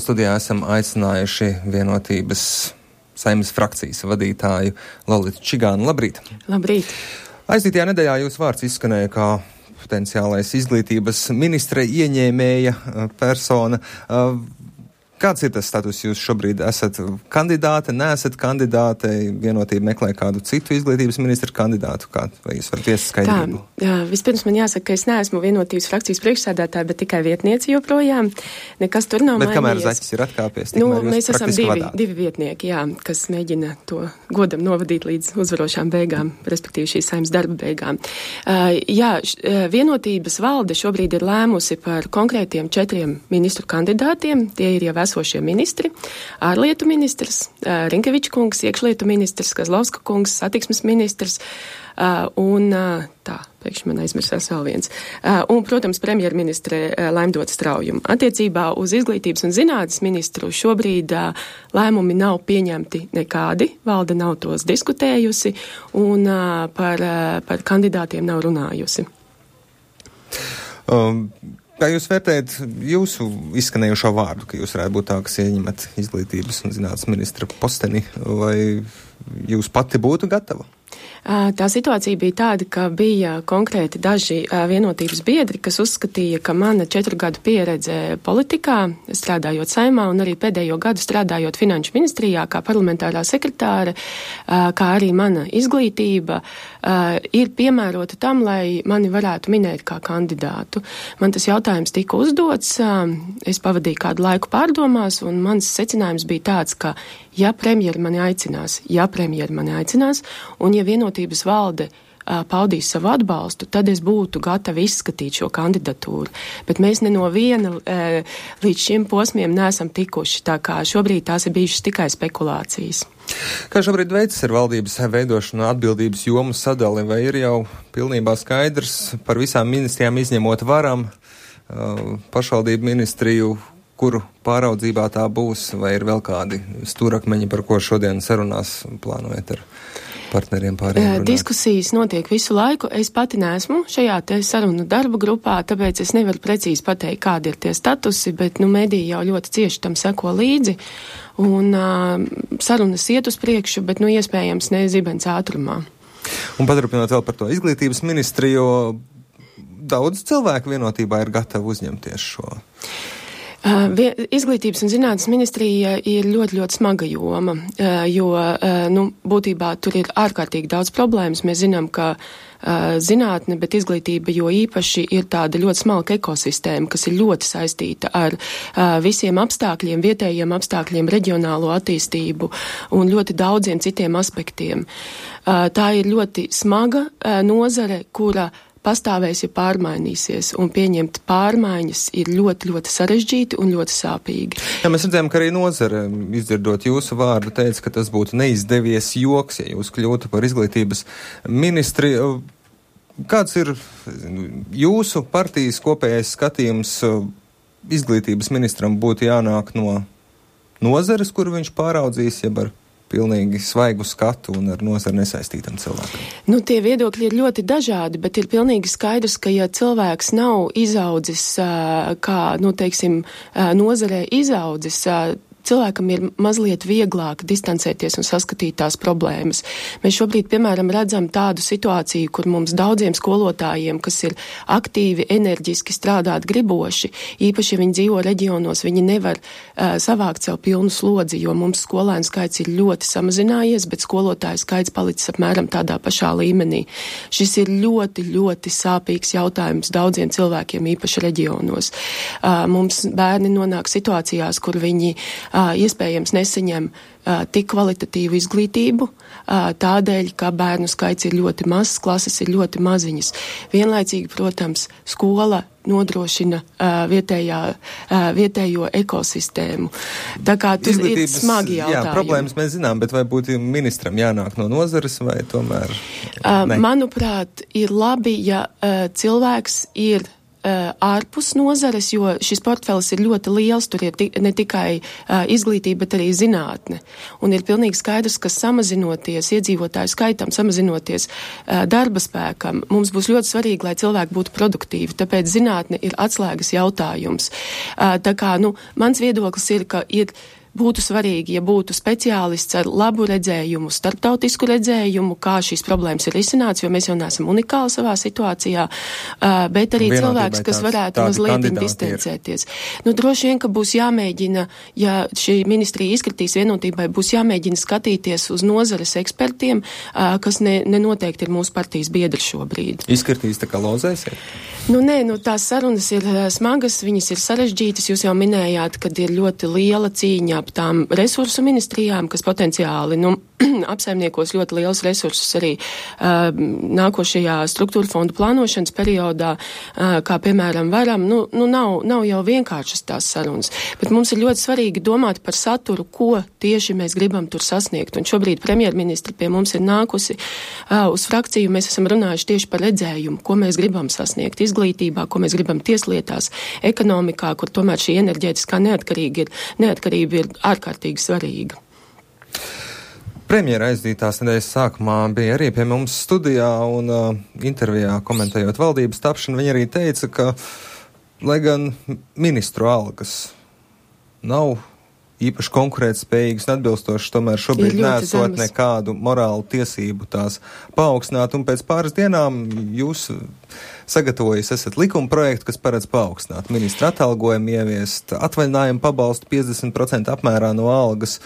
Studijā esam aicinājuši Vienotības Saeimas frakcijas vadītāju Lolitu Čigānu. Labrīt! Labrīt! Aizdītajā nedēļā jūsu vārds izskanēja kā potenciālais izglītības ministre ieņēmēja persona. Kāds ir tas status? Jūs šobrīd esat kandidāte, neesat kandidāte, Vienotība meklē kādu citu izglītības ministru kandidātu? Vai jūs varat iesakt skaidrību? Tā, vispirms man jāsaka, ka es neesmu Vienotības frakcijas priekšsēdētāja, bet tikai vietniece joprojām. Nekas tur nav mainījies. Bet kamēr Zaķis ir atkāpies, mēs esam divi vietnieki, jā, kas mēģina to godam novadīt līdz uzvarošām beigām, respektīvi šīs Saeimas darba beigām. Vienotības valde šobrīd ir lēmusi par konkrētiem 4 ministru kandidātiem. Tie ir jau esošie ministri, ārlietu ministrs, Rinkeviča kungs, iekšlietu ministrs, Kazlovska kungs, satiksmes ministrs, pēkšņi man aizmirsās vēl viens. Un, protams, premjerministre Laimdota Straujuma. Attiecībā uz izglītības un zinātnes ministru šobrīd lēmumi nav pieņemti nekādi, valde nav tos diskutējusi un par kandidātiem nav runājusi. Kā jūs vērtējat jūsu izskanējušo vārdu, ka jūs varētu būt tā, kas ieņemat izglītības un zinātnes ministra posteni, vai jūs pati būtu gatava? Tā situācija bija tāda, ka bija konkrēti daži vienotības biedri, kas uzskatīja, ka mana 4 gadu pieredze politikā, strādājot Saeimā un arī pēdējo gadu strādājot Finanšu ministrijā kā parlamentārā sekretāre, kā arī mana izglītība, ir piemērota tam, lai mani varētu minēt kā kandidātu. Man tas jautājums tika uzdots, es pavadīju kādu laiku pārdomās, un mans secinājums bija tāds, ka ja premjeri mani aicinās, un ja Vienotības valde paudīs savu atbalstu, tad es būtu gatava izskatīt šo kandidatūru. Bet mēs ne no viena līdz šim posmiem neesam tikuši, tā kā šobrīd tās ir bijušas tikai spekulācijas. Kā šobrīd veicas ar valdības veidošanu atbildības jomu sadali, vai ir jau pilnībā skaidrs par visām ministrijām izņemot varam pašvaldību ministriju, kuru pāraudzībā tā būs, vai ir vēl kādi stūrakmeņi, par ko šodien sarunās plānojat ar partneriem pārējiem runāt? Diskusijas notiek visu laiku. Es pati neesmu šajā te sarunu darba grupā, tāpēc es nevaru precīzi pateikt, kādi ir tie statusi, bet mediji jau ļoti cieši tam seko līdzi. Un sarunas iet uz priekšu, bet iespējams ne zibens ātrumā. Un paturpinot vēl par to izglītības ministriju, daudz cilvēku Vienotībā ir gatavi uzņemties šo. Izglītības un zinātnes ministrija ir ļoti, ļoti smaga joma, jo, būtībā tur ir ārkārtīgi daudz problēmas. Mēs zinām, ka zinātne, bet izglītība jo īpaši ir tāda ļoti smalka ekosistēma, kas ir ļoti saistīta ar visiem apstākļiem, vietējiem apstākļiem, reģionālo attīstību un ļoti daudziem citiem aspektiem. Tā ir ļoti smaga nozare, kura pastāvēs, ja pārmainīsies, un pieņemt pārmaiņas ir ļoti, ļoti sarežģīti un ļoti sāpīgi. Jā, mēs redzējām, ka arī nozare, izdzirdot jūsu vārdu, teica, ka tas būtu neizdevies joks, ja jūs kļūtu par izglītības ministri. Kāds ir jūsu partijas kopējais skatījums? Izglītības ministram būtu jānāk no nozares, kuru viņš pāraudzīs, jeb ar pilnīgi svaigu skatu un ar nozari nesaistītam cilvēkam? Tie viedokļi ir ļoti dažādi, bet ir pilnīgi skaidrs, ka ja cilvēks nav izaudzis, nozarē izaudzis, cilvēkam ir mazliet vieglāk distancēties un saskatīt tās problēmas. Mēs šobrīd, piemēram, redzam tādu situāciju, kur mums daudziem skolotājiem, kas ir aktīvi, enerģiski strādāt griboši, īpaši, ja viņi dzīvo reģionos, viņi nevar savākt sev pilnu slodzi, jo mums skolēnu skaits ir ļoti samazinājies, bet skolotāju skaits palicis apmēram tādā pašā līmenī. Šis ir ļoti, ļoti sāpīgs jautājums daudziem cilvēkiem, īpaši reģionos. Mums bērni nonāk situācijās, kur viņi iespējams nesaņem tik kvalitatīvu izglītību, tādēļ, ka bērnu skaits ir ļoti mazs, klases ir ļoti maziņas. Vienlaicīgi, protams, skola nodrošina vietējo ekosistēmu. Tā kā tur ir smagi jautājumi. Jā, problēmas mēs zinām, bet vai būtu ministram jānāk no nozares vai tomēr? Manuprāt, ir labi, ja cilvēks ir ārpus nozares, jo šis portfelis ir ļoti liels, tur ir ne tikai izglītība, bet arī zinātne. Un ir pilnīgi skaidrs, ka samazinoties iedzīvotāju skaitam, samazinoties darba spēkam, mums būs ļoti svarīgi, lai cilvēki būtu produktīvi, tāpēc zinātne ir atslēgas jautājums. Tā kā, mans viedoklis ir, ka būtu svarīgi, ja būtu speciālists ar labu redzējumu, starptautisku redzējumu, kā šīs problēmas ir risināts, jo mēs jau neesam unikāli savā situācijā, bet arī cilvēks, kas varētu mazliet distancēties. Droši vien, ka būs jāmēģina, ja šī ministrija izkritīs vienotībai, būs jāmēģina skatīties uz nozares ekspertiem, kas nenoteikti ir mūsu partijas biedri šobrīd. Izkritīs tā kā lozēsiet? Nē, tās sarunas ir smagas, viņas ir sarežģītas, jūs jau minējāt, kad ir ļoti liela cīņa ap tām resursu ministrijām, kas potenciāli, apsaimniekos ļoti liels resursus arī nākošajā struktūra fondu plānošanas periodā, kā piemēram varam, nav jau vienkāršas tās sarunas, bet mums ir ļoti svarīgi domāt par saturu, ko tieši mēs gribam tur sasniegt, un šobrīd premjerministri pie mums ir nākusi uz frakciju, mēs esam runājuši tieši par redzējumu, ko mēs gribam sasniegt izglītībā, ko mēs gribam tieslietās, ekonomikā, kur tomēr šī enerģētiskā neatkarība ir ārkārtīgi svarīga. Premjera aizdītās nedēļas sākumā bija arī pie mums studijā un intervijā komentējot valdības tapšanu, viņa arī teica, ka, lai gan ministru algas nav īpaši konkurētspējīgas un atbilstošas, tomēr šobrīd nesot nekādu morālu tiesību tās paaugstināt, un pēc pāris dienām jūs sagatavojis esat likuma projektu, kas paredz paaugstināt ministra atalgojumu, ieviest atvaļinājumu pabalstu 50% apmērā no algas.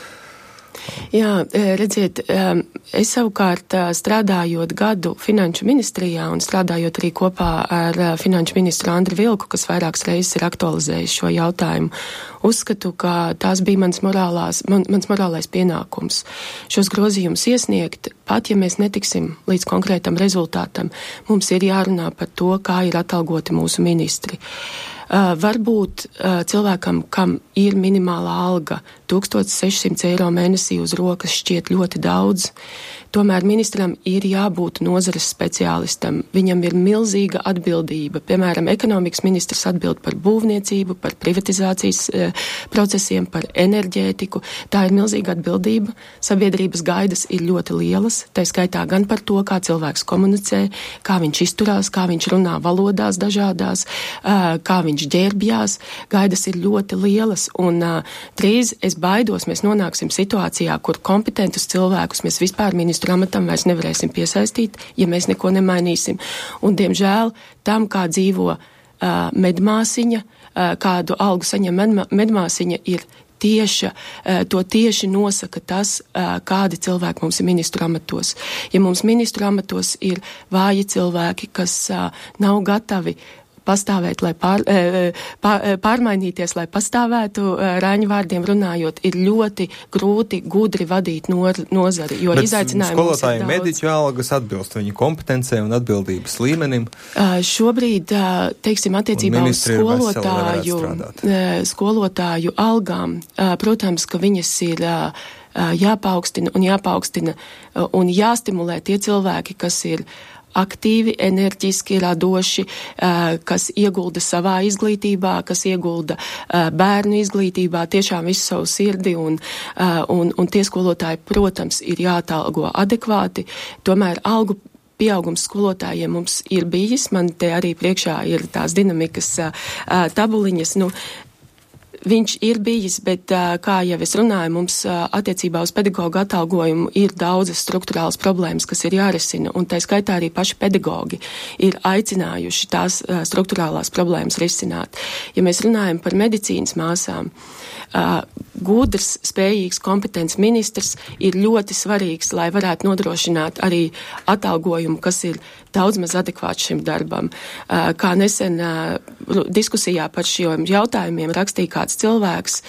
Jā, redziet, es savukārt strādājot gadu finanšu ministrijā un strādājot arī kopā ar finanšu ministru Andri Vilku, kas vairākas reizes ir aktualizējis šo jautājumu, uzskatu, ka tās bija mans morālais pienākums. Šos grozījumus iesniegt, pat ja mēs netiksim līdz konkrētam rezultātam, mums ir jārunā par to, kā ir atalgoti mūsu ministri. Varbūt cilvēkam, kam ir minimālā alga 1600 eiro mēnesī uz rokas šķiet ļoti daudz, tomēr ministram ir jābūt nozares speciālistam. Viņam ir milzīga atbildība. Piemēram, ekonomikas ministrs atbild par būvniecību, par privatizācijas procesiem, par enerģētiku. Tā ir milzīga atbildība. Sabiedrības gaidas ir ļoti lielas, tā skaitā gan par to, kā cilvēks komunicē, kā viņš izturās, kā viņš runā valodās dažādās, kā viņš ģērbjās. Gaidas ir ļoti lielas, un drīz es baidos, mēs nonāksim situācijā, kur kompetentus cilvēkus mēs vispār ministru amatam vairs nevarēsim piesaistīt, ja mēs neko nemainīsim. Un, diemžēl, tam, kā dzīvo medmāsiņa, kādu algu saņem medmāsiņa, ir tieša, to tieši nosaka tas, kādi cilvēki mums ir ministru amatos. Ja mums ministru amatos ir vāji cilvēki, kas nav gatavi pastāvēt, lai pārmainīties, lai pastāvētu, Raņa vārdiem runājot, ir ļoti grūti, gudri vadīt nozari, jo izaicinājumi mums ir daudz. Skolotāji mediķu algas atbilst viņu kompetencē un atbildības līmenim? Šobrīd, teiksim, attiecībā uz skolotāju algām, protams, ka viņas ir jāpaukstina un jāstimulē tie cilvēki, kas ir aktīvi, enerģiski, radoši, kas iegulda savā izglītībā, kas iegulda bērnu izglītībā, tiešām visu savu sirdi, un tie skolotāji, protams, ir jāatalgo adekvāti, tomēr algu pieaugums skolotājiem mums ir bijis, man te arī priekšā ir tās dinamikas tabuliņas, viņš ir bijis, bet, kā jau es runāju, mums attiecībā uz pedagoģu atalgojumu ir daudzas struktūrālas problēmas, kas ir jārisina, un tā skaitā arī paši pedagoģi ir aicinājuši tās struktūrālās problēmas risināt. Ja mēs runājam par medicīnas māsām, gudrs, spējīgs, kompetents ministrs ir ļoti svarīgs, lai varētu nodrošināt arī atalgojumu, kas ir daudz maz adekvāts šim darbam. Kā nesen diskusijā par šiem jautājumiem rakstīja kāds cilvēks,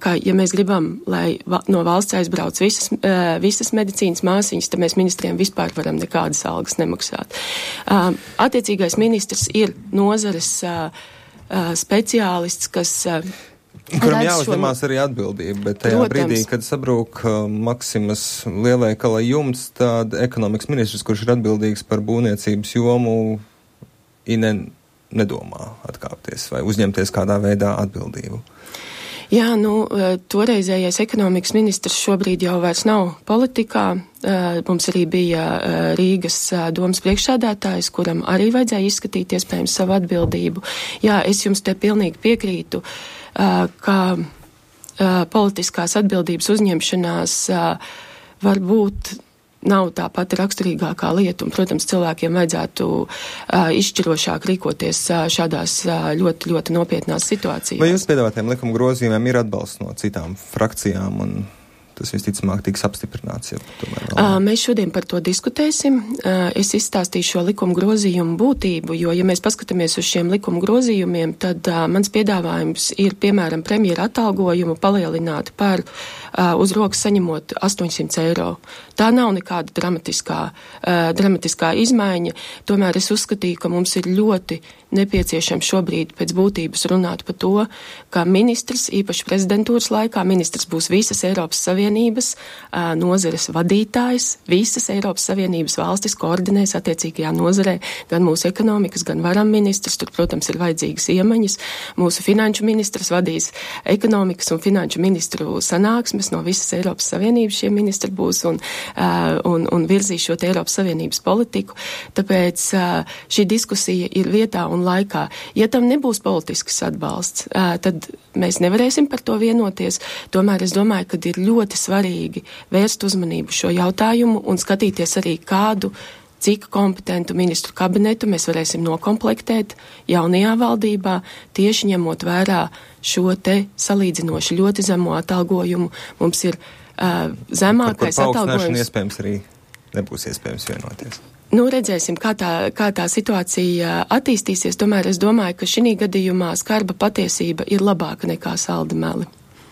ka, ja mēs gribam, lai no valsts aizbrauc visas medicīnas māsiņas, tad mēs ministriem vispār varam nekādas algas nemaksāt. Attiecīgais ministrs ir nozares speciālists, kas kuram jāuzņemās arī atbildība, bet tajā brīdī, kad sabrūk Maksimas lielveikala jumts, tad ekonomikas ministrs, kurš ir atbildīgs par būvniecības jomu, nedomā atkāpties vai uzņemties kādā veidā atbildību? Jā, toreizējais ekonomikas ministrs šobrīd jau vairs nav politikā. Mums arī bija Rīgas domas priekšsēdētājs, kuram arī vajadzēja izskatīt iespējams savu atbildību. Jā, es jums te pilnīgi piekrītu, ka politiskās atbildības uzņemšanās varbūt nav tā pati raksturīgākā lieta, un, protams, cilvēkiem vajadzētu izšķirošāk rīkoties šādās ļoti, ļoti nopietnās situācijās. Vai jūs piedāvātiem likuma grozījumiem ir atbalsts no citām frakcijām, un tas visticamāk tiks apstiprināts? Mēs šodien par to diskutēsim. Es izstāstīšu šo likuma grozījumu būtību, jo, ja mēs paskatāmies uz šiem likuma grozījumiem, tad mans piedāvājums ir, piemēram, premjera atalgojumu palielināt par uz rokas saņemot 800 eiro. Tā nav nekāda dramatiskā izmaiņa, tomēr es uzskatīju, ka mums ir ļoti nepieciešams šobrīd pēc būtības runāt par to, ka ministrs, īpaši prezidentūras laikā, ministrs būs visas Eiropas Savienības nozares vadītājs, visas Eiropas Savienības valstis koordinēs attiecīgajā nozarē, gan mūsu ekonomikas, gan varam ministrs, tur, protams, ir vajadzīgas iemaņas. Mūsu finanšu ministrs vadīs ekonomikas un finanšu ministru sanāksmes, no visas Eiropas Savienības šie ministri būs un virzīs šo te Eiropas Savienības politiku. Tāpēc šī diskusija ir vietā un laikā. Ja tam nebūs politisks atbalsts, tad mēs nevarēsim par to vienoties. Tomēr es domāju, ka ir ļoti svarīgi vērst uzmanību šo jautājumu un skatīties arī cik kompetentu ministru kabinetu mēs varēsim nokomplektēt jaunajā valdībā, tieši ņemot vērā šo te salīdzinoši ļoti zemo atalgojumu. Mums ir zemākais atalgojums. Iespējams arī nebūs iespējams vienoties. Redzēsim, kā tā situācija attīstīsies. Tomēr es domāju, ka šī gadījumā skarba patiesība ir labāka nekā saldi meli.